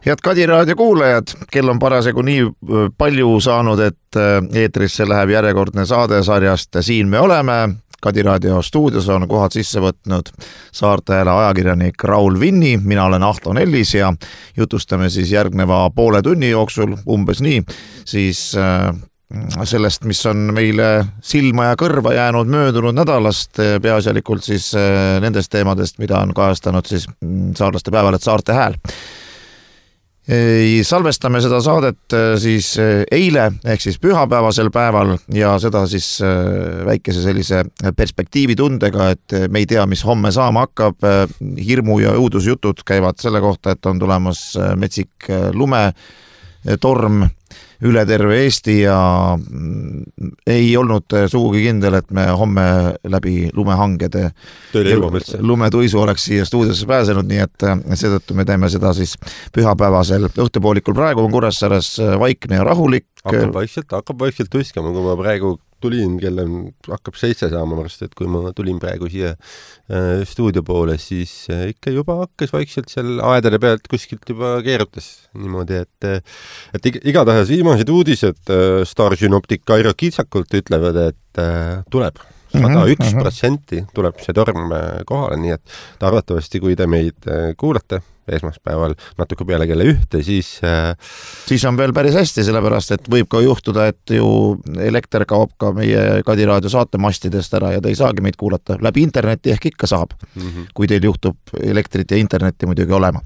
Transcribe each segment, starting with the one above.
Head Kadi raadio kuulajad, kell on parasjagu nii palju saanud, et eetrisse läheb järjekordne saade sarjast Siin me oleme. Kadi raadio stuudios on kohad sisse võtnud Saarte Hääle ajakirjanik Raul Vinni, mina olen Ahto Nellis ja jutustame siis järgneva poole tunni jooksul umbes nii, siis sellest, mis on meile silma ja kõrva jäänud möödunud nädalast, peaasjalikult siis nendest teemadest, mida on kajastanud siis saarlaste päevaleht Saarte Hääl. Salvestame seda saadet siis eile ehk siis pühapäevasel päeval ja seda siis väikese sellise perspektiivitundega, et me ei tea, mis homme saama hakkab. Hirmu ja õudusjutud käivad selle kohta, et on tulemas metsik lumetorm üle terve Eesti ja ei olnud sugugi kindel, et me homme läbi lumehangede lumetuisu oleks siia stuudiosse pääsenud, nii et seetõttu me teeme seda siis pühapäevasel õhtupoolikul. Praegu on Kuressaares vaikne ja rahulik. Hakkab vaikselt tuiskama, kui ma praegu tulin, kelle hakkab 7 saama varsti, et kui ma tulin praegu siia stuudio poole, siis ikka juba hakkas vaikselt seal aedade pealt kuskilt juba keerutas niimoodi, et igatahes viimased uudised Star Synoptic Kairo kitsakult ütlevad, et tuleb 101% tuleb see torm kohale, nii et arvatavasti, kui te meid kuulate esmaspäeval natuke peale kella 1, siis on veel päris hästi, sellepärast, et võib ka juhtuda, et ju elekter kaob ka meie Kadi raadio saatemastidest ära ja te ei saagi meid kuulata. Läbi interneti ehk ikka saab, kui teil juhtub elektrit ja internetti muidugi olema.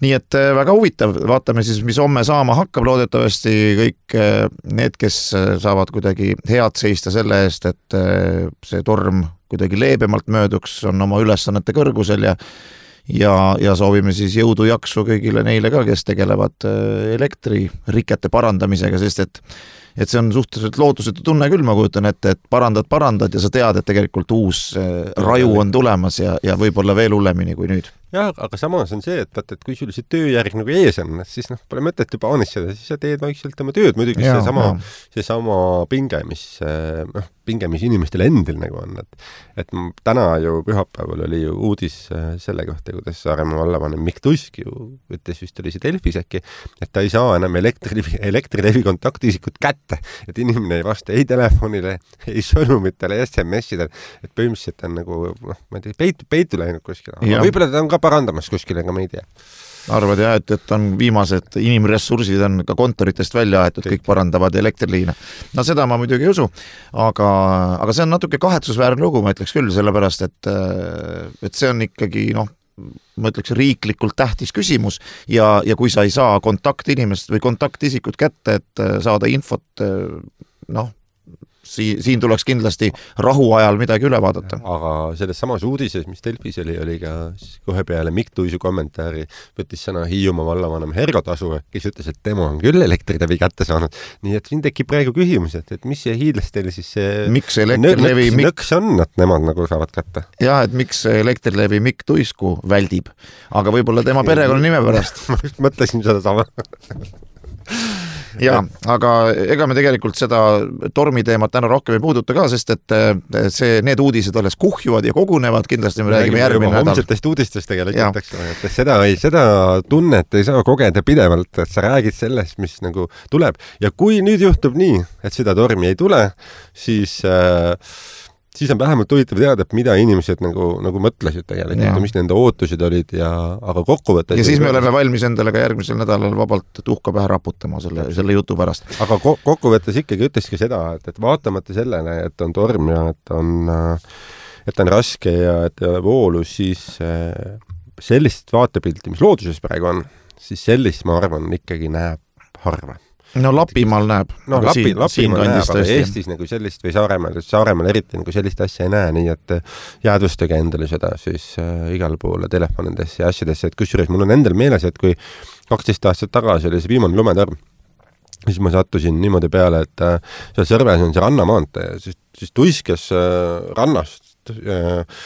Nii et väga huvitav, vaatame siis, mis homme saama hakkab. Loodetavasti kõik need, kes saavad kuidagi head seista selle eest, et see torm kuidagi leebemalt mööduks, on oma ülesannete kõrgusel ja soovime siis jõudu jaksu kõigile neile ka, kes tegelevad elektririkete parandamisega, sest et see on suhteliselt lootusetu tunne küll, ma kujutan ette, et parandad ja sa tead, et tegelikult uus raju on tulemas ja võib-olla veel hullemini kui nüüd. Jah, aga samas on see, et kui sul see tööjärg nagu ees on, siis pole mõtet juba anistada, siis sa teed vaikselt oma tööd. Muidugi seesama pinge, mis inimestel endil nagu on. Et täna ju pühapäeval oli ju uudis selle kohta, kuidas Saaremaa vallavanem Mikk Tusk ju ütles vist oli see Delfis äkki, et ta ei saa enam elektrilevi kontaktisikut kätte, et inimene ei vasta ei telefonile, ei sõnumitele, SMS-idele, et põhimõtteliselt on nagu, ma ei tea, peitu läinud kuskile. Võib-olla ta on ka parandamas kuskile, aga me ei tea. Arvad jah, et on viimased inimressursid on ka kontoritest välja aetud, kõik parandavad elektriliine. No seda ma muidugi ei usu, aga see on natuke kahetsusväärne lugu, ma ütleks küll, sellepärast, et see on ikkagi, ma ütleks riiklikult tähtis küsimus ja kui sa ei saa kontaktinimest või kontaktisikut kätte, et saada infot, siin tuleks kindlasti rahuajal midagi üle vaadata. Aga selles samas uudises, mis Delfis oli ka kohe peale Mikk Tuisu kommentaari, võttis sõna Hiiumaa vallavanem Hergo Tasu, kes ütles, et tema on küll elektrilevi kätte saanud. Nii et siin tekib praegu küsimus, et mis see hiidlastel siis miks elektrilevi nõks on, et nemad nagu saavad kätte? Jah, et miks elektrilevi Mikk Tuisku väldib, aga võib-olla tema perekonna nime pärast. Ma just mõtlesin seda sama. Ja, aga ega me tegelikult seda tormiteemat täna rohkem ei puuduta ka, sest et need uudised alles kuhjuvad ja kogunevad, kindlasti me räägime järgmine nädal. Homsetest uudistest tegelikult, et seda tunnet ei saa kogeda pidevalt, et sa räägid sellest, mis nagu tuleb. Ja kui nüüd juhtub nii, et seda tormi ei tule, siis on vähemalt huvitav teada, et mida inimesed nagu mõtlesid tegelikult, mis nende ootused olid aga kokkuvõttes. Ja siis me oleme valmis endale ka järgmisel nädalal vabalt tuhka pähe raputama selle jutu pärast. Aga kokkuvõttes ikkagi ütleski seda, et vaatamata sellele, et on torm ja et on raske ja et ei ole voolu, siis sellist vaatepilti, mis looduses praegu on, siis sellist, ma arvan, ikkagi näeb harva. No Lapimaal näeb. Lapimaal näeb, aga Eestis nagu sellist või Saaremaal eriti nagu sellist asja ei näe, nii et jäädvustage endale seda siis igal poole telefonidesse ja asjadesse, et kusjuures mul on endal meeles, et kui 12 aastat tagasi oli see viimane lumetorm, siis ma sattusin niimoodi peale, et seal Sõrves on see rannamaante ja siis tuiskes rannast,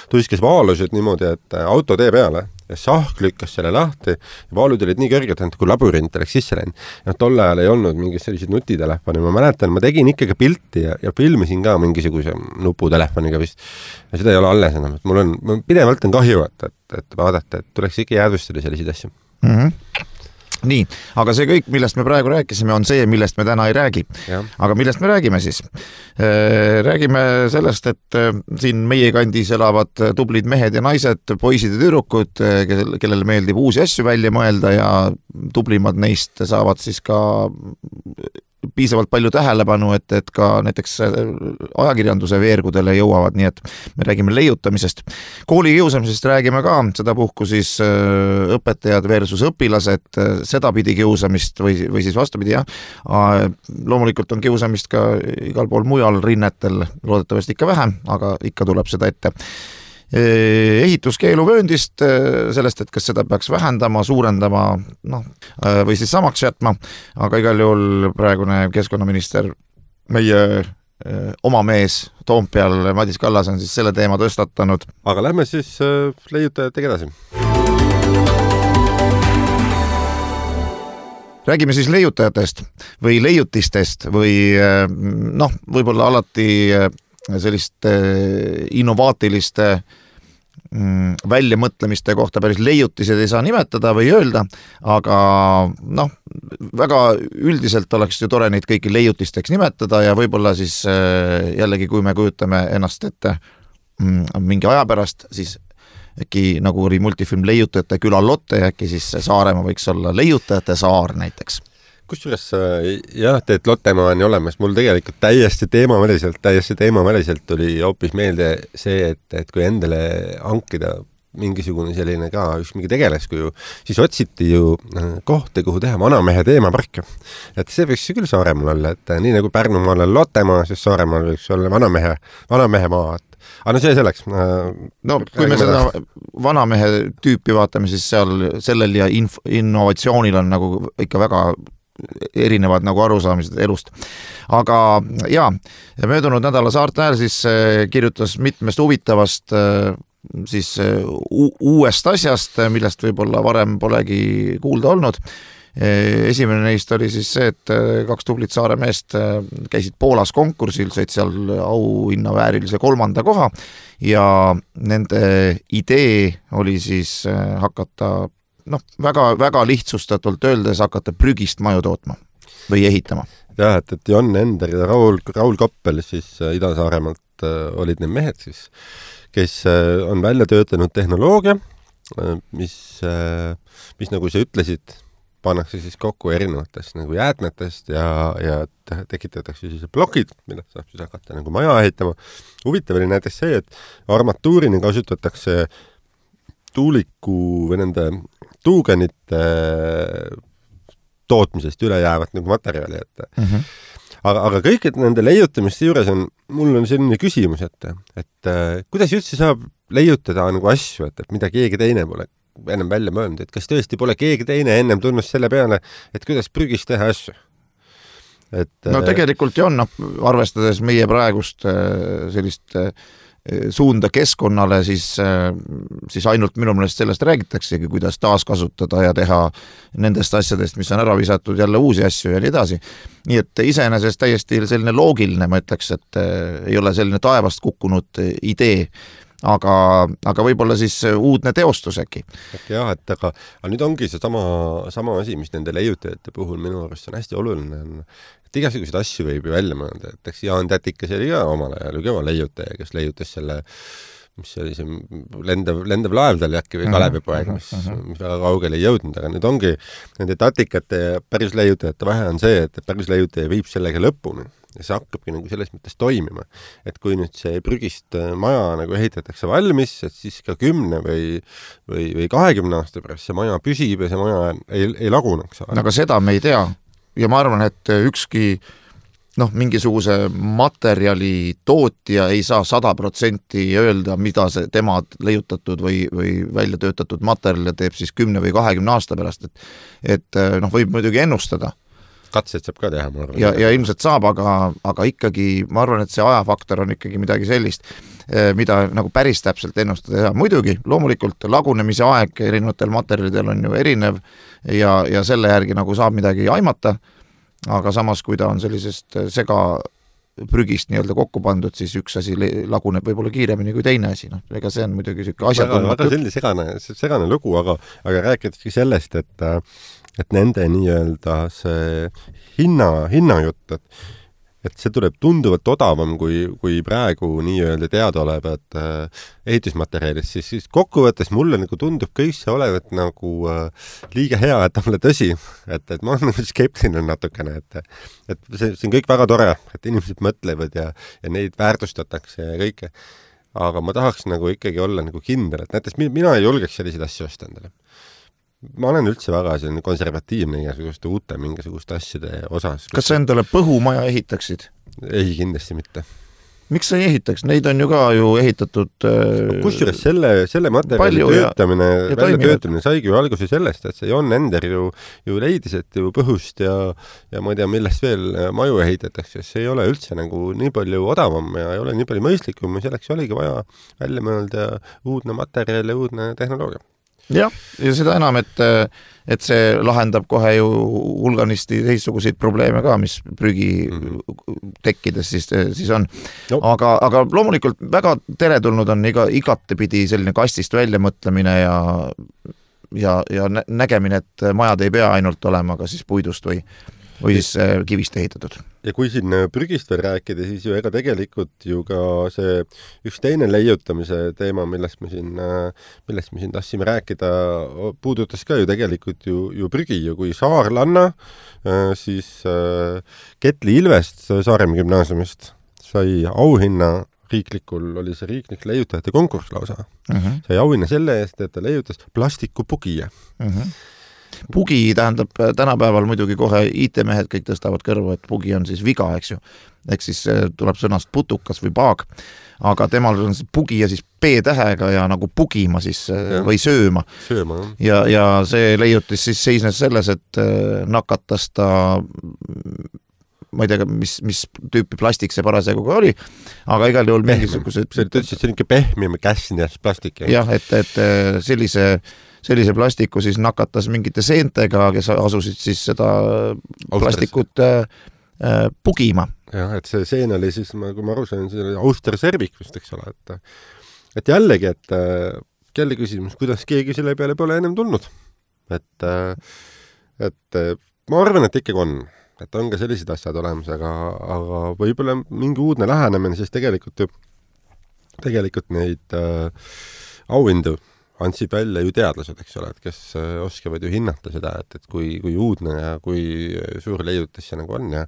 tuiskes vaalused niimoodi, et auto tee peale ja sahk lükkas selle lahti ja vaalud olid nii kõrged, et kui labürint oleks sisse läinud. Ja tol ajal ei olnud mingid sellised nutitelefoni. Ma mäletan, ma tegin ikkagi pilti ja filmisin ka mingisuguse nuputelefoniga vist. Ja seda ei ole alles enam. Mul pidevalt on kahju, et vaadata, et tuleks ikka jäädvustada selliseid asju. Nii, aga see kõik, millest me praegu rääkisime, on see, millest me täna ei räägi. Aga millest me räägime siis? Räägime sellest, et siin meie kandis elavad tublid mehed ja naised, poisid ja tüdrukud, kellele meeldib uusi asju välja mõelda ja tublimad neist saavad siis ka piisavalt palju tähelepanu, et ka näiteks ajakirjanduse veergudele jõuavad, nii et me räägime leiutamisest. Kooli kiusamisest räägime ka, seda puhku siis õpetajad versus õpilased, seda pidi kiusamist või siis vastupidi, jah. Loomulikult on kiusamist ka igal pool mujal rinnetel, loodetavasti ikka vähem, aga ikka tuleb seda ette. Ehituskeeluvööndist, sellest, et kas seda peaks vähendama, suurendama või siis samaks jätma, aga igal juhul praegune keskkonnaminister, meie oma mees Toompeal, Madis Kallas on siis selle teema tõstatanud. Aga lähme siis leiutajatega edasi. Räägime siis leiutajatest või leiutistest või võib-olla alati selliste innovaatiliste väljamõtlemiste kohta päris leiutised ei saa nimetada või öelda, aga väga üldiselt oleks ju tore neid kõiki leiutisteks nimetada ja võib-olla siis jällegi, kui me kujutame ennast ette mingi aja pärast, siis äkki nagu oli multifilm Leiutajate küla Lotte, äkki siis Saaremaa võiks olla Leiutajate saar näiteks. Kusjuures jah, teed Lottemaa on olemas, mul tegelikult täiesti teemaväliselt tuli hoopis meelde see, et kui endale hankida mingisugune selline ka üks mingi tegeleskuju, siis otsiti ju kohti, kuhu teha vanamehe teemapark. Et see võiks küll Saaremaal olla, et nii nagu Pärnumaal on Lottemaa, siis Saaremaal võiks olla vanamehe maa. Aga see selleks. Kui me seda vanamehe tüüpi vaatame, siis sellel ja innovatsioonil on nagu ikka väga erinevad nagu arusaamised elust. Aga jaa, möödunud nädala Saarte Hääl siis kirjutas mitmest huvitavast siis uuest asjast, millest võib-olla varem polegi kuulda olnud. Esimene neist oli siis see, et 2 tublit Saare meest käisid Poolas konkursil, said seal auhinna väärilise 3. koha ja nende idee oli siis hakata väga lihtsustatult öeldes hakata prügist maju tootma või ehitama. Jah, et Jon Ender ja Raul Koppel siis Ida-Saaremaalt olid need mehed siis, kes on välja töötanud tehnoloogia, mis nagu sa ütlesid, pannakse siis kokku erinevatest nagu jäätmetest ja tekitatakse siis plokid, millest saab siis hakata nagu maja ehitama. Huvitav oli näiteks see, et armatuurini kasutatakse tuuliku või nende tuugenite tootmisest üle jäävat nagu materjali. Aga kõik, et nende leiutamiste juures mul on selline küsimus, et kuidas üldse saab leiutada nagu asju, et mida keegi teine pole ennem välja mõelnud, et kas tõesti pole keegi teine ennem tulnud selle peale, et kuidas prügist teha asju? Tegelikult ju on, arvestades meie praegust sellist suunda keskkonnale, siis ainult minu meelest sellest räägitaksegi, kuidas taaskasutada ja teha nendest asjadest, mis on ära visatud, jälle uusi asju ja nii edasi. Nii et iseenesest täiesti selline loogiline, ma ütleks, et ei ole selline taevast kukkunud idee, aga võib-olla siis uudne teostus äkki. Jah, aga nüüd ongi see sama asi, mis nende leiutajate puhul minu arust on hästi oluline, et igasuguseid asju võib ju välja mõelda, et eks Jaan Tätikas oli ka omal ajal kõva leiutaja, kes leiutas selle, mis oli see lendev laev tal äkki või Kalevipoeg, mis väga kaugele ei jõudnud, aga nüüd ongi nende tatikate ja päris leiutajate vahe on see, et päris leiutaja viib sellega lõpuni ja see hakkabki nagu selles mõttes toimima, et kui nüüd see prügist maja nagu ehitatakse valmis, et siis ka 10 või 20 aasta pärast see maja püsib ja see maja ei laguneks. Aga seda me ei tea ja ma arvan, et ükski mingisuguse materjali tootja ei saa 100% öelda, mida see tema leiutatud või välja töötatud materjal teeb siis 10 või 20 aasta pärast, et võib muidugi ennustada. Katseid saab ka teha, ma arvan. Ja ilmselt saab, aga ikkagi ma arvan, et see ajafaktor on ikkagi midagi sellist, mida nagu päris täpselt ennustada. Muidugi, loomulikult lagunemise aeg erinevatel materjalidel on ju erinev ja selle järgi nagu saab midagi aimata, aga samas, kui ta on sellisest prügist nii-öelda kokku pandud, siis üks asi laguneb võib-olla kiiremini kui teine asi, noh, ega see on muidugi selline asjatundmatu. Väga selline segane lugu, aga rääkideski sellest, et nende nii-öelda see hinnajutt, et see tuleb tunduvalt odavam kui praegu nii-öelda teadaolevad ehitusmaterjalid, siis kokkuvõttes mulle nagu tundub kõik see olevat nagu liiga hea, et olla tõsi, et ma olen nagu skeptiline natukene, et see on kõik väga tore, et inimesed mõtlevad ja neid väärtustatakse ja kõike, aga ma tahaks nagu ikkagi olla nagu kindel, et näiteks mina ei julgeks selliseid asju osta endale. Ma olen üldse väga selline konservatiivne igasuguste mingisuguste asjade osas. Kas sa endale põhumaja ehitaksid? Ei, kindlasti mitte. Miks sa ei ehitaks? Neid on ju ka ehitatud... Kusjuures selle materjali väljatöötamine saigi ju alguse sellest, et see Jon Ender ju leidis, et ju põhust ja ma ei tea, millest veel maju ehitatakse. See ei ole üldse nagu nii palju odavam ja ei ole nii palju mõistlikum ja selleks oligi vaja välja mõelda uudne materjal ja uudne tehnoloogia. Jah, ja seda enam, et see lahendab kohe ju hulganisti teistsuguseid probleeme ka, mis prügi tekkides siis on. No. Aga loomulikult väga teretulnud on igatepidi selline kastist väljamõtlemine ja nägemine, et majad ei pea ainult olema ka siis puidust või siis kivist ehitatud. Ja kui siin prügist veel rääkida, siis ju ega tegelikult ju ka see üks teine leiutamise teema, millest me siin tahtsime rääkida, puudutas ka ju tegelikult ju prügi ja kui saarlanna, siis Ketli Ilvest Saaremaa gümnaasiumist sai auhinna oli see riiklik leiutajate konkurss lausa. Sai auhinna selle eest, et ta leiutas plastikupugija. Pugi tähendab tänapäeval muidugi kohe IT-mehed kõik tõstavad kõrvu, et pugi on siis viga, eks ju. Eks siis tuleb sõnast putukas või paag, aga temal on pugi ja siis P-tähega ja nagu pugima siis või sööma. Ja see leiutis siis seisnes selles, et nakatas ta, ma ei tea, mis tüüpi plastik see parasjagu ka oli, aga igal juhul mingisugused... See ütles, et selline pehmim käsnjas plastik. Jah, et sellise plastiku siis nakatas mingite seentega, kes asusid siis seda plastikut pugima. Jah, et see seen oli siis, kui ma aru sain, see oli Austerservik vist, eks ole, et jällegi, et kelle küsimus, kuidas keegi selle peale pole ennem tulnud. Et ma arvan, et ikkagi on, et on ka sellised asjad olemas, aga võib-olla mingi uudne lähenemine, siis tegelikult neid auhindu andsid välja ju teadlased, eks ole, et kes oskavad ju hinnata seda, et kui uudne ja kui suur leiutis see nagu on ja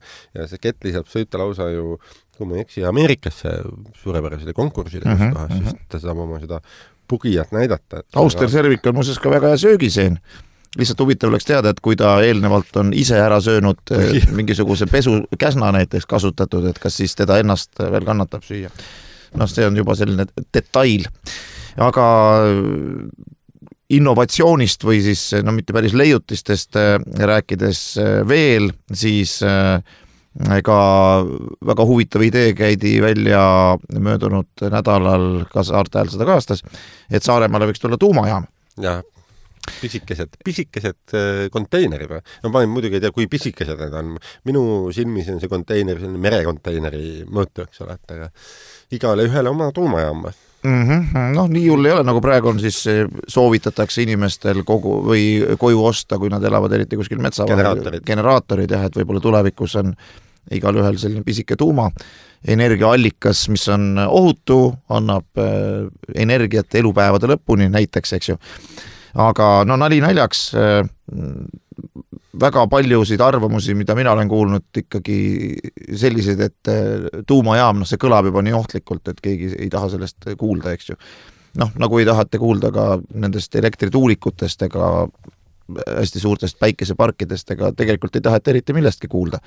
see Ketli saab sõita lausa ju, kui ma ei eksi, Ameerikasse suurepärasele konkursile, siis ta saab oma seda pugijat näidata. Austerservik on muuseas ka väga hea söögiseen. Lihtsalt huvitav oleks teada, et kui ta eelnevalt on ise ära söönud mingisuguse pesukäsna näiteks kasutatud, et kas siis teda ennast veel kannatab süüa. Noh, see on juba selline detail. Aga innovatsioonist või siis, no mitte päris leiutistest rääkides veel, siis ka väga huvitav idee käidi välja möödunud nädalal, ka Saarte Hääl seda kaastas, et Saaremaale võiks tulla tuumajaam. Jah. Pisikesed konteinerid. No ma muidugi ei tea, kui pisikesed need on. Minu silmis on see konteiner, selline merekonteineri mõõtu, eks ole, et igale ühele oma tuumajaam. No nii hull ei ole, nagu praegu on siis soovitatakse inimestel koju osta, kui nad elavad eriti kuskil generaatorid, jah, et võib-olla tulevikus on igal ühel selline pisike tuuma energiaallikas, mis on ohutu, annab energiat elupäevade lõpuni näiteks, eks ju. Aga no nali naljaks, väga paljusid arvamusi, mida mina olen kuulnud, ikkagi sellised, et tuumajaam, see kõlab juba nii ohtlikult, et keegi ei taha sellest kuulda, eks ju. Noh, nagu ei tahate kuulda ka nendest elektrituulikutest ega hästi suurtest päikeseparkidest, ega tegelikult ei taheta eriti millestki kuulda.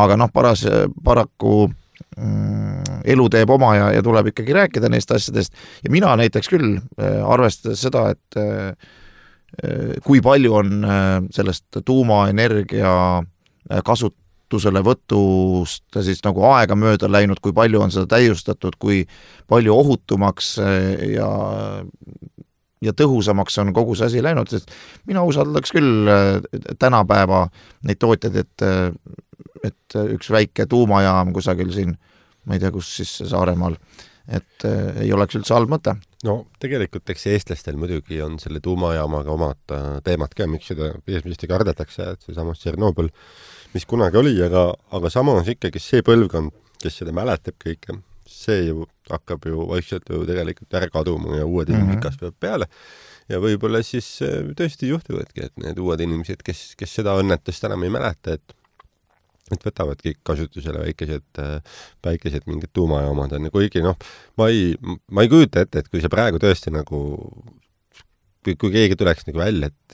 Aga noh, paraku elu teeb oma ja tuleb ikkagi rääkida neist asjadest. Ja mina näiteks küll arvestades seda, et kui palju on sellest tuumaenergia kasutusele võtust siis nagu aega mööda läinud, kui palju on seda täiustatud, kui palju ohutumaks ja tõhusamaks on kogu see asi läinud, sest mina usaldaks küll tänapäeva neid tootjaid, et et üks väike tuumajaam kusagil siin, ma ei tea, kus siis Saaremaal, et ei oleks üldse halb mõte. No tegelikult eks eestlastel muidugi on selle tuumajaamaga omad teemad ka, miks seda eesmisesti kardetakse, et see samas Tšernobõl, mis kunagi oli, aga samas ikkagi see põlvkond, kes seda mäletab kõike, see ju hakkab ju vaikselt ju tegelikult ära kaduma ja uued inimesed kasvavad peale. Ja võib-olla siis tõesti juhtuvadki, et need uued inimesed, kes seda õnnetust enam ei mäleta, et võtavad kõik kasutusele väikesed mingid tuumajaamad on. Kuigi ma ei kujuta ette, et kui see praegu tõesti nagu, kui keegi tuleks nagu välja, et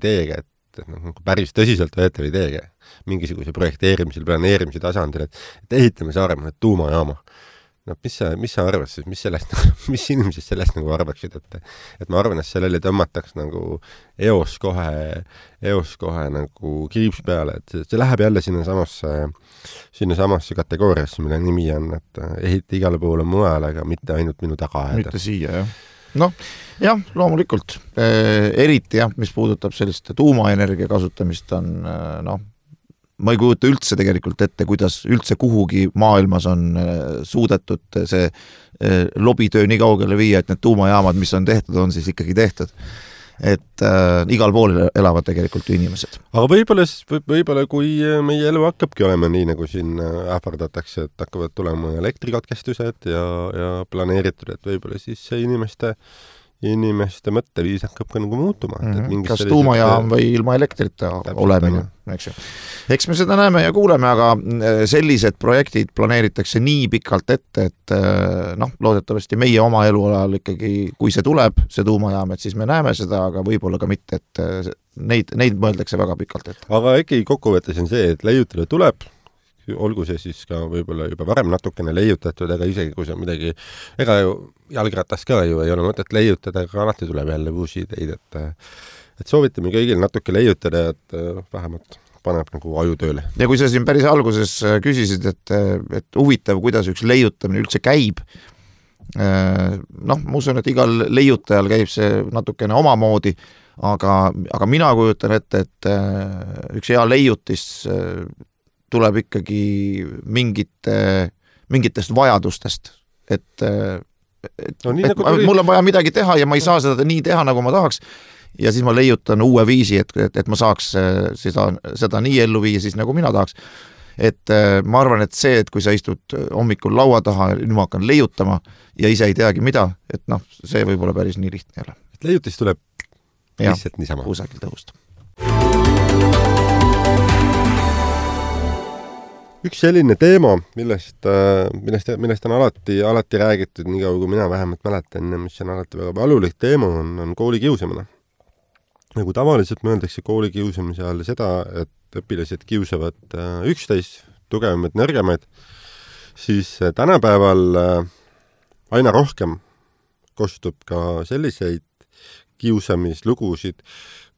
ideega, et nagu päris tõsiselt võetav ideega, mingisuguse projekteerimisel, planeerimise tasandil, et ehitame Saaremaale tuumajaama. Mis sa arvad siis, mis inimesed sellest nagu arvaksid, et ma arvan, et sellele tõmmataks nagu eos kohe nagu kriips peale, et see läheb jälle sinna samasse kategooriasse, mille nimi on, et ehita igale poole mujale, aga mitte ainult minu taga aeda. Mitte siia, jah. Jah, loomulikult. Eriti, mis puudutab sellist tuumaenergia kasutamist on, ma ei kujuta üldse tegelikult ette, kuidas üldse kuhugi maailmas on suudetud see lobitöö nii kaugele viia, et need tuumajaamad, mis on tehtud, on siis ikkagi tehtud. Et igal pool elavad tegelikult ju inimesed. Aga võib-olla kui meie elu hakkabki olema nii, nagu siin ähvardatakse, et hakkavad tulema elektrikatkestused ja planeeritud, et võib-olla siis see inimeste mõtteviis hakkab ka nagu muutuma. Kas tuumajaam või ilma elektrita olemine, eks ju. Eks me seda näeme ja kuuleme, aga sellised projektid planeeritakse nii pikalt ette, et loodetavasti meie oma elualal ikkagi, kui see tuleb, see tuumajaam, et siis me näeme seda, aga võib-olla ka mitte, et neid mõeldakse väga pikalt ette. Aga ikkagi kokkuvõttes on see, et leiutada tuleb, olgu see siis ka võib-olla juba varem natukene leiutatud, aga isegi kui see on midagi, ega ju jalgratas ka ju ei ole mõtet leiutada, aga alati tuleb jälle uusi ideid, et soovitame kõigil natuke leiutada, et vähemalt paneb nagu aju tööle. Ja kui sa siin päris alguses küsisid, et huvitav, kuidas üks leiutamine üldse käib, ma usun, et igal leiutajal käib see natukene omamoodi, aga mina kujutan ette, et üks hea leiutis tuleb ikkagi mingitest vajadustest, et mul on vaja midagi teha ja ma ei saa seda nii teha, nagu ma tahaks, ja siis ma leiutan uue viisi, et ma saaks seda nii ellu viia, siis nagu mina tahaks. Et ma arvan, et see, et kui sa istud hommikul laua taha, nüüd ma hakkan leiutama ja ise ei teagi mida, et see võib olla päris nii lihtne jälle. Et leiutis tuleb lihtsalt niisama. Kusagil tõust. Üks selline teema, millest on alati räägitud, nii kaua kui mina vähemalt mäletan, mis on alati väga valulik teema, on koolikiusamine. Nagu tavaliselt mõeldakse koolikiusamise all seda, et õpilased kiusavad üksteist, tugevamaid, nõrgemaid, siis tänapäeval aina rohkem kostub ka selliseid kiusamislugusid,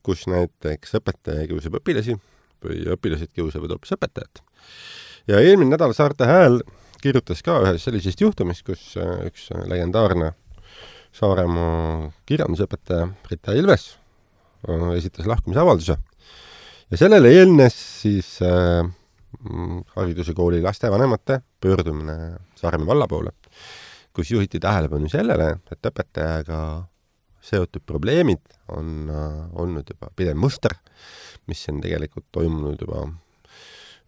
kus näiteks õpetaja kiusab õpilasi või õpilased kiusavad hoopis õpetajat. Ja eelmine nädal Saarte Hääl kirjutas ka ühes sellisest juhtumist, kus üks legendaarne Saaremaa kirjandusõpetaja Rita Ilves esitas lahkumisavalduse. Ja sellele eelnes siis hariduse kooli lastevanemate pöördumine Saaremaa valla poole, kus juhiti tähelepanu sellele, et õpetajaga seotud probleemid on olnud juba pidev muster, mis on tegelikult toimunud juba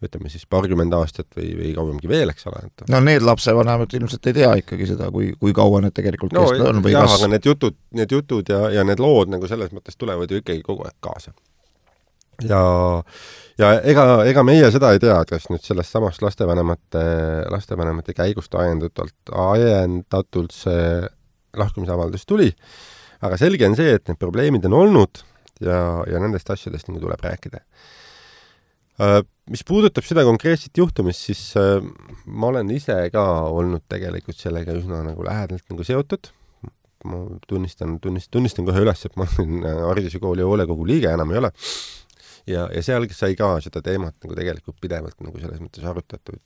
ütleme siis paarkümmend aastat või kauemgi veel, eks ole. Need lapsevanemad ilmselt ei tea ikkagi seda, kui kaua need tegelikult kestnud on. Aga need jutud ja need lood nagu selles mõttes tulevad ju ikkagi kogu aeg kaasa. Ja ega meie seda ei tea, kas nüüd sellest samast lastevanemate käigust ajendatult see lahkumisavaldus tuli, aga selge on see, et need probleemid on olnud ja nendest asjadest nagu tuleb rääkida. Mis puudutab seda konkreetset juhtumist, siis ma olen ise ka olnud tegelikult sellega üsna nagu lähedalt nagu seotud. Ma tunnistan kohe üles, et ma olen hariduse kooli hoolekogu liige, enam ei ole. Ja seal sai ka seda teemat nagu tegelikult pidevalt nagu selles mõttes arutatud.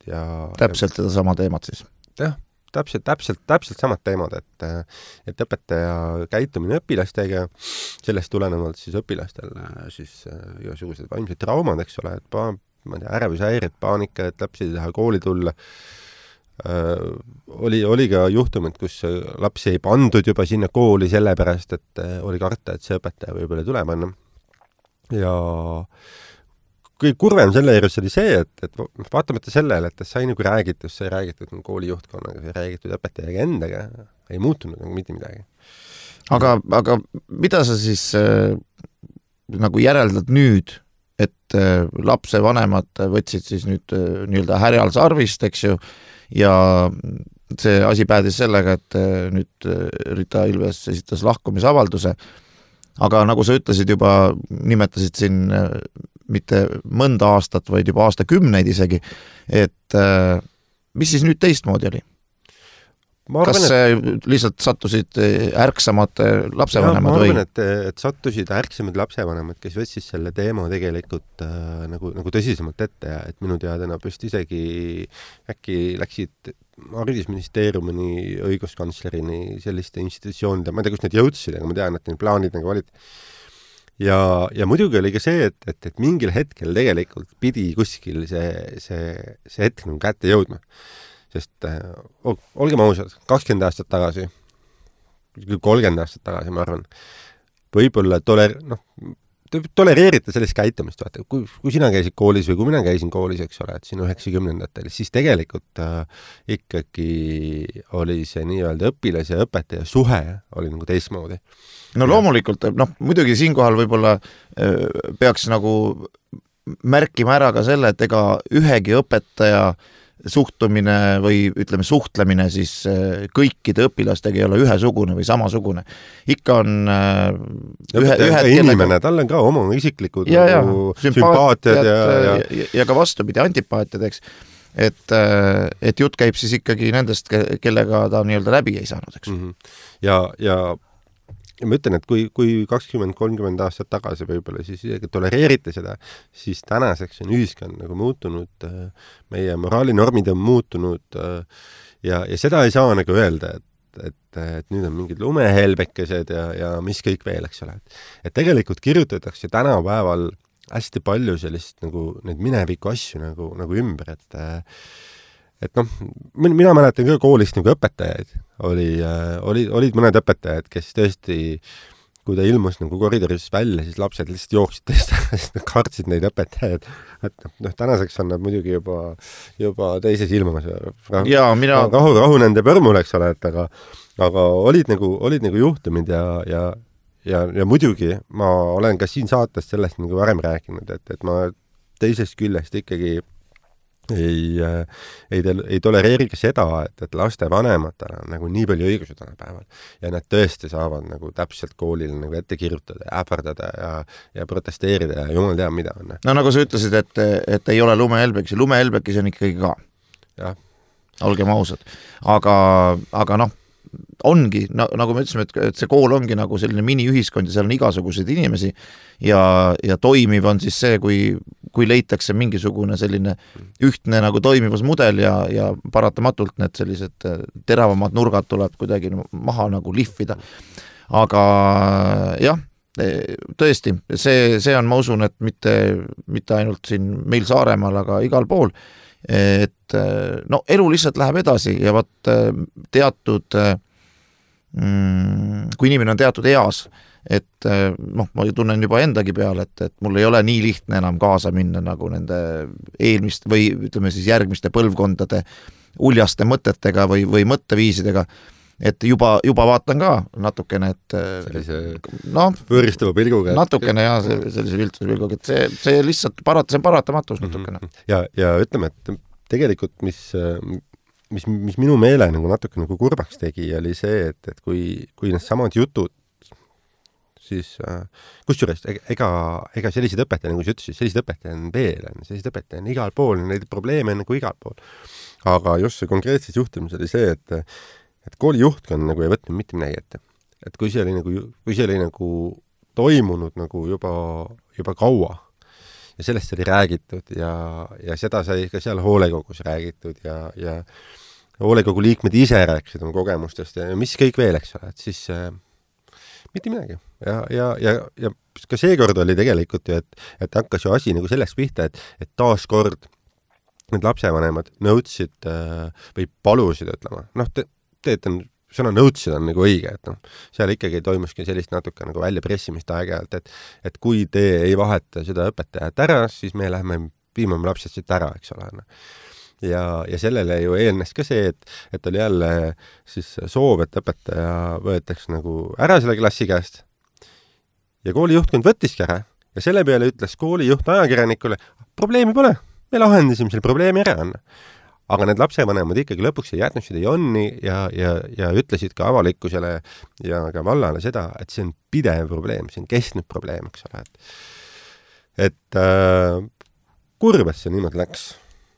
Täpselt seda sama teemat siis? Jah, täpselt samad teemad, et õpetaja käitumine õpilastega, sellest tulenevalt siis õpilastel siis igasugused vaimsed traumad, eks ole, et ma ei tea, ärevishäired, paanika, et lapsi ei taha kooli tulla. Oli ka juhtumid, kus lapsi ei pandud juba sinna kooli sellepärast, et oli karta, et see õpetaja võib-olla ei tule panna. Ja kõige kurvem selle juures oli see, et vaatamata sellele, et sai nagu räägitud, sai räägitud kooli juhtkonnaga, sai räägitud õpetajaga endaga, ei muutunud nagu mitte midagi. Aga mida sa siis nagu järeldad nüüd, et lapse vanemad võtsid siis nüüd nii-öelda härjal sarvist, eks ju, ja see asi päädis sellega, et nüüd Rita Ilves esitas lahkumisavalduse, aga nagu sa ütlesid juba, nimetasid siin mitte mõnda aastat, vaid juba aastakümneid isegi, et mis siis nüüd teistmoodi oli? Kas lihtsalt sattusid ärksamad lapsevanemad või? Ma arvan, et sattusid ärksamad lapsevanemad, kes võtsid selle teema tegelikult nagu tõsisemalt ette ja et minu teada nad vist isegi äkki läksid haridusministeeriumini, õiguskantslerini, selliste institutsioonide, ma ei tea, kus need jõudsid, aga ma tean, et need plaanid nagu olid. Ja muidugi oli ka see, et mingil hetkel tegelikult pidi kuskil see hetk nagu kätte jõudma. Sest olgem ausad, 20 aastat tagasi, 30 aastat tagasi, ma arvan, võib-olla tolereerite sellist käitumist, vaata, kui sina käisid koolis või kui mina käisin koolis, eks ole, et siin 90-ndatel, siis tegelikult ikkagi oli see nii-öelda õpilas ja õpetaja suhe oli nagu teistmoodi. No loomulikult, muidugi siinkohal võib-olla peaks nagu märkima ära ka selle, et ega ühegi õpetaja suhtumine või ütleme suhtlemine siis kõikide õpilastega ei ole ühesugune või samasugune. Ikka on ühed inimene, tal on ka oma isiklikud sümpaatiad ja ka vastupidi, antipaatiad, eks. Et jutt käib siis ikkagi nendest, kellega ta nii-öelda läbi ei saanud, eks. Ja ma ütlen, et kui 20-30 aastat tagasi võib-olla siis tolereerite seda, siis tänaseks on ühiskond nagu muutunud, meie moraalinormid on muutunud ja seda ei saa nagu öelda, et nüüd on mingid lumehelbekesed ja mis kõik veel, eks ole. Et tegelikult kirjutatakse tänapäeval hästi palju sellist nagu neid mineviku asju nagu ümber, et mina mäletan ka koolist nagu õpetajaid. Olid mõned õpetajad, kes tõesti, kui ta ilmus nagu koridoris välja, siis lapsed lihtsalt jooksid teist, sest nad kartsid neid õpetajaid. Et tänaseks on nad muidugi juba teises ilmas. Rahu nende põrmul, eks ole, aga olid nagu juhtumid ja muidugi ma olen ka siin saates sellest nagu varem rääkinud, et ma teisest küljest ikkagi ei tolereeri ka seda, et laste vanematel on nagu nii palju õigusi tänapäeval ja nad tõesti saavad nagu täpselt koolil nagu ette kirjutada ja äpardada ja protesteerida ja jumal teab mida on. No nagu sa ütlesid, et ei ole lumehelbekesi, lumehelbekesi on ikkagi ka. Jah. Olgem ausad. Aga ongi, nagu me ütlesime, et see kool ongi nagu selline miniühiskond ja seal on igasuguseid inimesi ja toimiv on siis see, kui leitakse mingisugune selline ühtne nagu toimivas mudel ja paratamatult need sellised teravamad nurgad tuleb kuidagi maha nagu lihvida. Aga jah, tõesti, see on, ma usun, et mitte ainult siin meil Saaremaal, aga igal pool, et elu lihtsalt läheb edasi ja teatud kui inimene on teatud eas, et ma tunnen juba endagi peale, et mul ei ole nii lihtne enam kaasa minna nagu nende eelmist või ütleme siis järgmiste põlvkondade uljaste mõtetega või mõtteviisidega, et juba vaatan ka natukene, et võõristava pilguga. Natukene jah, sellise viltuse pilguga, et see lihtsalt see on paratamatus natukene. Ja ütleme, et tegelikult mis minu meele nagu natuke nagu kurbaks tegi, oli see, et kui need samad jutud, siis kusjuures ega sellised õpetaja, nagu sa ütlesid, sellised õpetaja on veel, sellised õpetaja on igal pool, neid probleeme on nagu igal pool. Aga just see konkreetses juhtumis oli see, et kooli juhtkond nagu ei võtnud mitte midagi ette. Et kui see oli nagu toimunud nagu juba kaua ja sellest oli räägitud ja seda sai ka seal hoolekogus räägitud ja hoolekogu liikmed ise rääkisid oma kogemustest ja mis kõik veel, eks ole, et siis mitte midagi. Ja ka seekord oli tegelikult ju, et hakkas ju asi nagu sellest pihta, et taaskord need lapsevanemad nõudsid või palusid, ütlema. Sõna nõudsid on nagu õige, et seal ikkagi toimuski sellist natuke nagu väljapressimist aeg-ajalt, et kui te ei vaheta seda õpetajat ära, siis me lähme viimame lapsed siit ära, eks ole. Ja sellele ju eelnes ka see, et oli jälle siis soov, et õpetaja võetaks nagu ära selle klassi käest ja koolijuhtkond võttiski ära ja selle peale ütles koolijuht ajakirjanikule, probleemi pole, me lahendasime selle probleemi ära. Aga need lapsevanemad ikkagi lõpuks ei jätnud seda jonni ja ütlesid ka avalikkusele ja ka vallale seda, et see on pidev probleem, see on kestnud probleem, eks ole. Et kurb, et see niimoodi läks,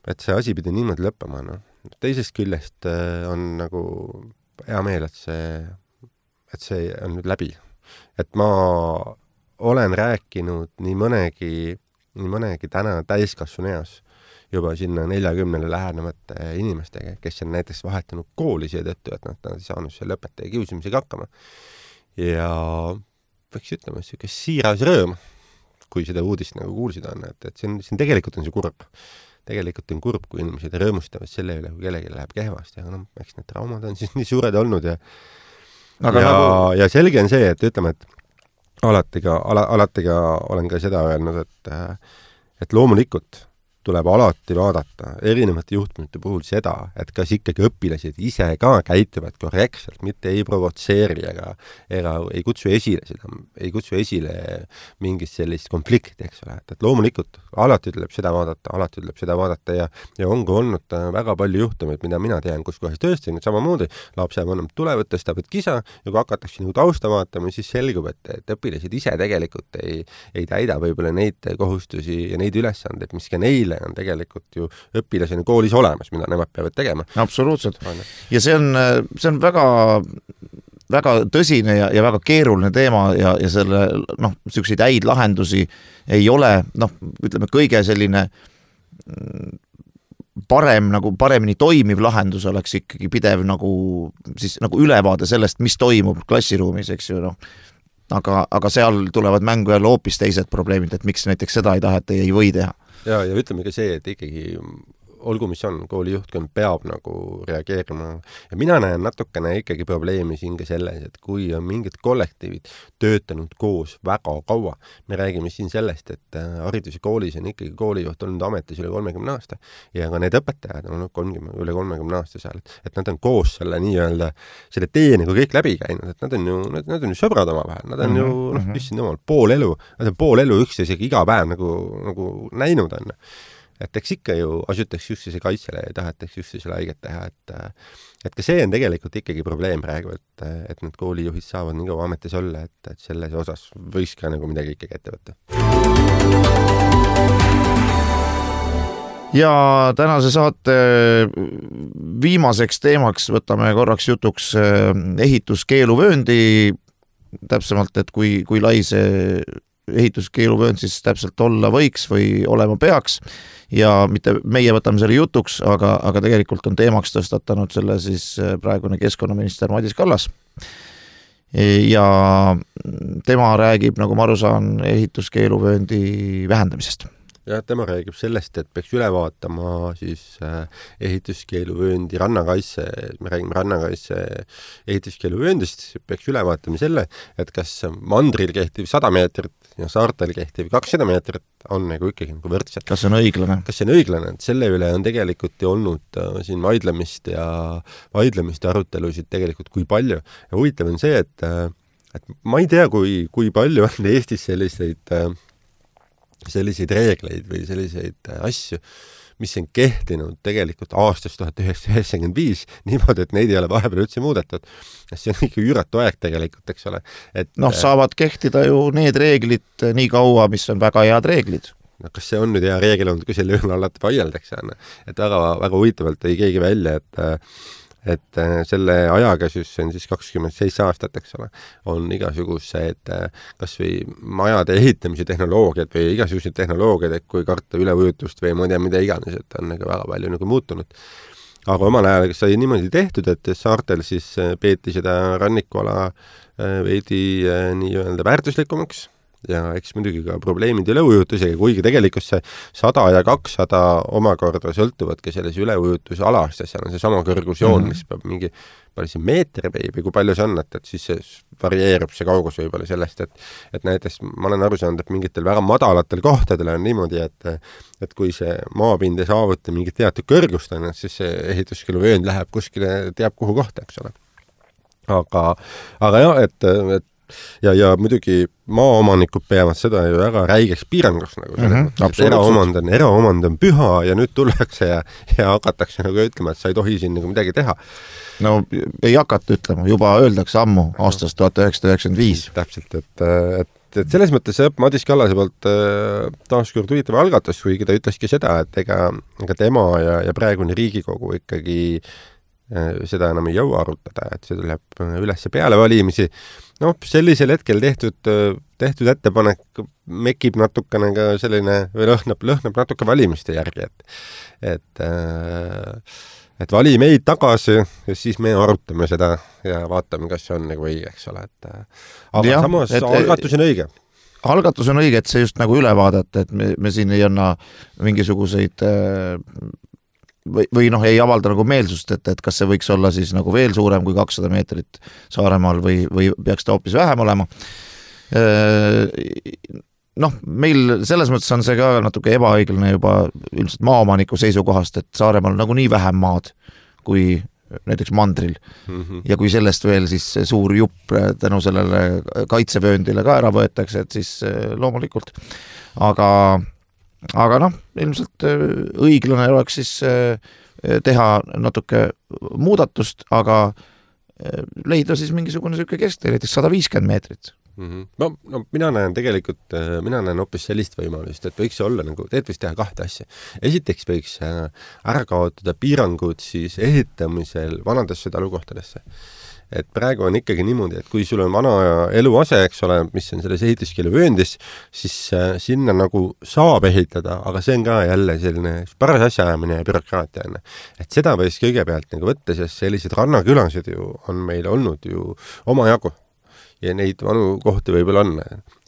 et see asi pidi niimoodi lõppema. Teisest küljest on nagu hea meel, et see on nüüd läbi. Et ma olen rääkinud nii mõnegi täna täiskasvanu eas juba sinna 40 lähenevate inimestega, kes on näiteks vahetanud kooli seetõttu, et nad ei saanud selle õpetaja kiusamisega hakkama. Ja võiks ütlema, et siiras rõõm, kui seda uudist nagu kuulsid on, et see tegelikult on see kurb. Tegelikult on kurb, kui inimesed rõõmustavad selle üle, kui kellelgi läheb kehvasti, aga eks need traumad on siis nii suured olnud ja selge on see, et ütleme, et alati ka olen ka seda öelnud, et loomulikult tuleb alati vaadata erinevate juhtumite puhul seda, et kas ikkagi õpilased ise ka käituvad korrektselt, mitte ei provotseeri ega ei kutsu esile mingit sellist konflikti, eks ole. Et loomulikult alati tuleb seda vaadata ja ongi olnud väga palju juhtumeid, mida mina tean, kus kohas tõesti nüüd samamoodi lapsevanemad tulevad, tõstavad kisa ja kui hakatakse nagu tausta vaatama, siis selgub, et õpilased ise tegelikult ei täida võib-olla neid kohustusi ja neid ülesandeid, mis ka neile on tegelikult ju õpilasena koolis olemas, mida nemad peavad tegema. Absoluutselt. Ja see on väga, väga tõsine ja väga keeruline teema ja selle, selliseid häid lahendusi ei ole, ütleme, kõige selline paremini toimiv lahendus oleks ikkagi pidev nagu ülevaade sellest, mis toimub klassiruumis, eks ju, aga seal tulevad mängu jälle hoopis teised probleemid, et miks näiteks seda ei taheta ei või teha. Ja ütleme ka see, et ikkagi olgu mis on, koolijuhtkond peab nagu reageerima. Ja mina näen natukene ikkagi probleemi siin ka selles, et kui on mingid kollektiivid töötanud koos väga kaua, me räägime siin sellest, et haridus- ja koolis on ikkagi koolijuht olnud ametis üle 30 aasta ja ka need õpetajad on olnud üle 30 aasta seal, et nad on koos selle tee nagu kõik läbi käinud, et nad on ju sõbrad omavahel, nad on ju, issand jumal, nad on pool elu üksteisega iga päev nagu näinud on. Et eks ikka ju asutaks üksteise kaitsele ja tahetaks üksteisele haiget teha, et ka see on tegelikult ikkagi probleem praegu, et need koolijuhid saavad nii kaua ametis olla, et selles osas võiks ka nagu midagi ikkagi ette võtta. Ja tänase saate viimaseks teemaks võtame korraks jutuks ehituskeeluvööndi, täpsemalt, et kui lai see ehituskeeluvöönd siis täpselt olla võiks või olema peaks ja mitte meie võtame selle jutuks, aga tegelikult on teemaks tõstatanud selle siis praegune keskkonnaminister Madis Kallas. Ja tema räägib, nagu ma aru saan, ehituskeeluvööndi vähendamisest. Ja tema räägib sellest, et peaks üle vaatama siis ehituskeeluvööndi rannakaitse, me räägime rannakaitse ehituskeeluvööndist, peaks üle vaatama selle, et kas mandril kehtiv 100 meetrit ja saartel kehtiv 200 meetrit on nagu ikkagi nagu võrdselt. Kas see on õiglane? Kas see on õiglane, et selle üle on tegelikult olnud siin vaidlemist ja arutelusid tegelikult kui palju. Ja huvitav on see, et ma ei tea, kui palju on Eestis selliseid reegleid või selliseid asju, mis on kehtinud tegelikult aastast 1995 niimoodi, et neid ei ole vahepeal üldse muudetud. See on ikka üüratu aeg tegelikult, eks ole. Saavad kehtida ju need reeglid nii kaua, mis on väga head reeglid. Kas see on nüüd hea reegel olnud, kui selle üle alati vaieldakse? Et väga huvitavalt tõi keegi välja, et selle ajaga siis on siis 27 aastat, eks ole, on igasugused kas või majade ehitamise tehnoloogiad või igasugused tehnoloogiad, et kui karta üleujutust või ma ei tea, mida iganes, et on väga palju nagu muutunud. Aga omal ajal sai niimoodi tehtud, et saartel siis peeti seda rannikuala veidi nii-öelda väärtuslikumaks ja eks muidugi ka probleemid üleujutusega, kuigi tegelikult see 100 ja 200 omakorda sõltuvadki selles üleujutus alast ja seal on see sama kõrgusjoon, mis peab mingi palju siin meeter või kui palju see on, et siis see varieerub see kaugus võib-olla sellest, et näiteks ma olen aru saanud, et mingitel väga madalatel kohtadel on niimoodi, et kui see maapind ei saavuta mingit teatud kõrgust, siis see ehituskeeluvöönd läheb kuskile teab kuhu kohta, eks ole. Aga jah, ja muidugi maaomanikud peavad seda ju väga räigeks piiranguks nagu eraomand on püha ja nüüd tullakse ja hakatakse nagu ütlema, et sa ei tohi siin nagu midagi teha. No ei hakata ütlema, juba öeldakse ammu aastast 1995. Täpselt, et selles mõttes Madis Kallase poolt taaskord huvitav algatus, kuigi ta ütleski seda, et ega tema ja praegune Riigikogu ikkagi seda enam ei jõua arutada, et see tuleb üles peale valimisi. Sellisel hetkel tehtud ettepanek mekib natukene ka selline, või lõhnab natuke valimiste järgi, et vali meid tagasi ja siis me arutame seda ja vaatame, kas see on nagu õige, eks ole. Aga samas algatus on õige. Algatus on õige, et see just nagu üle vaadata, et me siin ei anna mingisuguseid või ei avalda nagu meelsust, et kas see võiks olla siis nagu veel suurem kui 200 meetrit Saaremaal või peaks ta hoopis vähem olema. Meil selles mõttes on see ka natuke ebaõiglane juba üldiselt maaomaniku seisukohast, et Saaremaal on nagu nii vähem maad kui näiteks mandril. Ja kui sellest veel siis suur jupp tänu sellele kaitsevööndile ka ära võetakse, et siis loomulikult. Aga ilmselt õiglane oleks siis teha natuke muudatust, aga leida siis mingisugune selline kesktee, näiteks 150 meetrit. Mina näen hoopis sellist võimalust, et võiks olla nagu, võiks teha kahte asja. Esiteks võiks ära kaotada piirangud siis ehitamisel vanadesse talukohtadesse. Et praegu on ikkagi niimoodi, et kui sul on vana eluase, eks ole, mis on selles ehituskeeluvööndis, siis sinna nagu saab ehitada, aga see on ka jälle selline paras asjaajamine ja bürokraatia. Et seda võiks kõigepealt nagu võtta, sest sellised rannakülasid ju on meil olnud ju omajagu. Ja neid vanu kohti võib-olla on.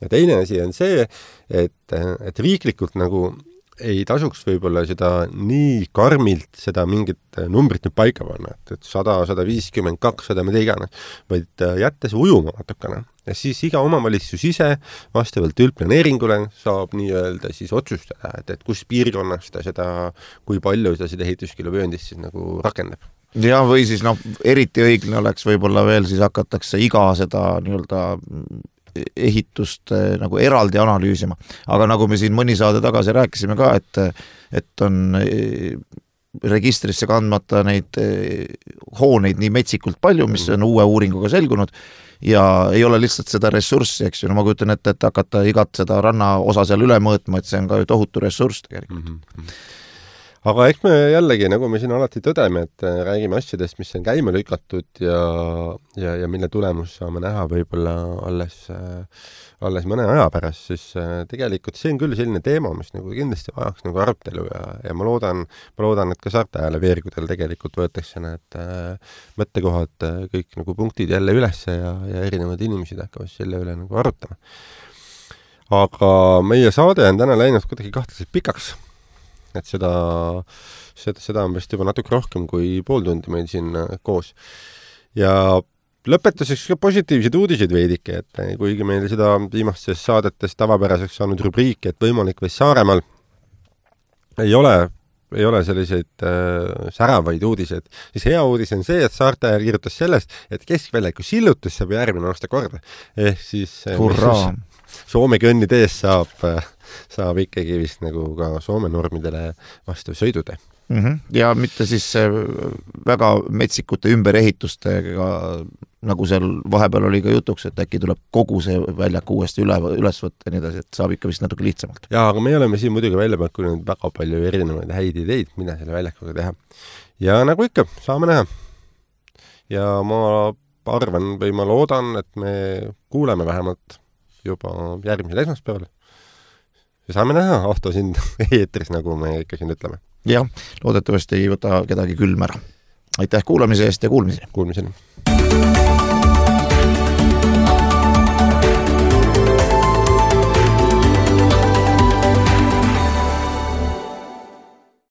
Ja teine asi on see, et riiklikult nagu ei tasuks võib-olla seda nii karmilt seda mingit numbrit nüüd paika panna, et 100, 150, 200, mida iganes, vaid jättes ujuma natukene. Ja siis iga omavalitsus ise vastavalt üldplaneeringule saab nii-öelda siis otsustada, et kus piirkonnas ta seda, kui palju seda ehituskeeluvööndist siis nagu rakendab. Ja või siis eriti õiglane oleks võib-olla veel siis hakatakse iga seda nii-öelda ehitust nagu eraldi analüüsima. Aga nagu me siin mõni saade tagasi rääkisime ka, et on registrisse kandmata neid hooneid nii metsikult palju, mis on uue uuringuga selgunud ja ei ole lihtsalt seda ressurssi, eks ju. Ma kujutan ette, et hakata igat seda ranna osa seal üle mõõtma, et see on ka ju tohutu ressurss tegelikult. Aga eks me jällegi, nagu me siin alati tõdeme, et räägime asjadest, mis on käima lükatud ja mille tulemus saame näha võib-olla alles mõne aja pärast, siis tegelikult see on küll selline teema, mis nagu kindlasti vajaks nagu arutelu ja ma loodan, et ka Saarte Hääle veergudel tegelikult võetakse need mõttekohad kõik nagu punktid jälle üles ja erinevad inimesed hakkavad selle üle nagu arutama. Aga meie saade on täna läinud kuidagi kahtlaselt pikaks. Et seda on vist juba natuke rohkem kui pool tundi meil siin koos. Ja lõpetuseks ka positiivsed uudised veidike, et kuigi meil seda viimastes saadetes tavapäraseks saanud rubriiki, et võimalik või Saaremaal ei ole selliseid säravaid uudised, siis hea uudis on see, et Saarte Hääl kirjutas sellest, et keskväljaku sillutus saab järgmine aasta korda. Siis Soome kõnnitees saab ikkagi vist nagu ka Soome normidele vastav sõidutee. Ja mitte siis väga metsikute ümberehitustega, nagu seal vahepeal oli ka jutuks, et äkki tuleb kogu see väljak uuesti üles võtta ja nii edasi, et saab ikka vist natuke lihtsamalt. Ja, aga me oleme siin muidugi välja pakkunud väga palju erinevaid häid ideid, mida selle väljakuga teha. Ja nagu ikka, saame näha. Ja ma arvan või ma loodan, et me kuuleme vähemalt juba järgmisel esmaspäeval. Ja saame näha, Ahto sind eetris, nagu me ikka siin ütleme. Jah, loodetavasti ei võta kedagi külm ära. Aitäh kuulamise eest ja kuulmiseni. Kuulmiseni.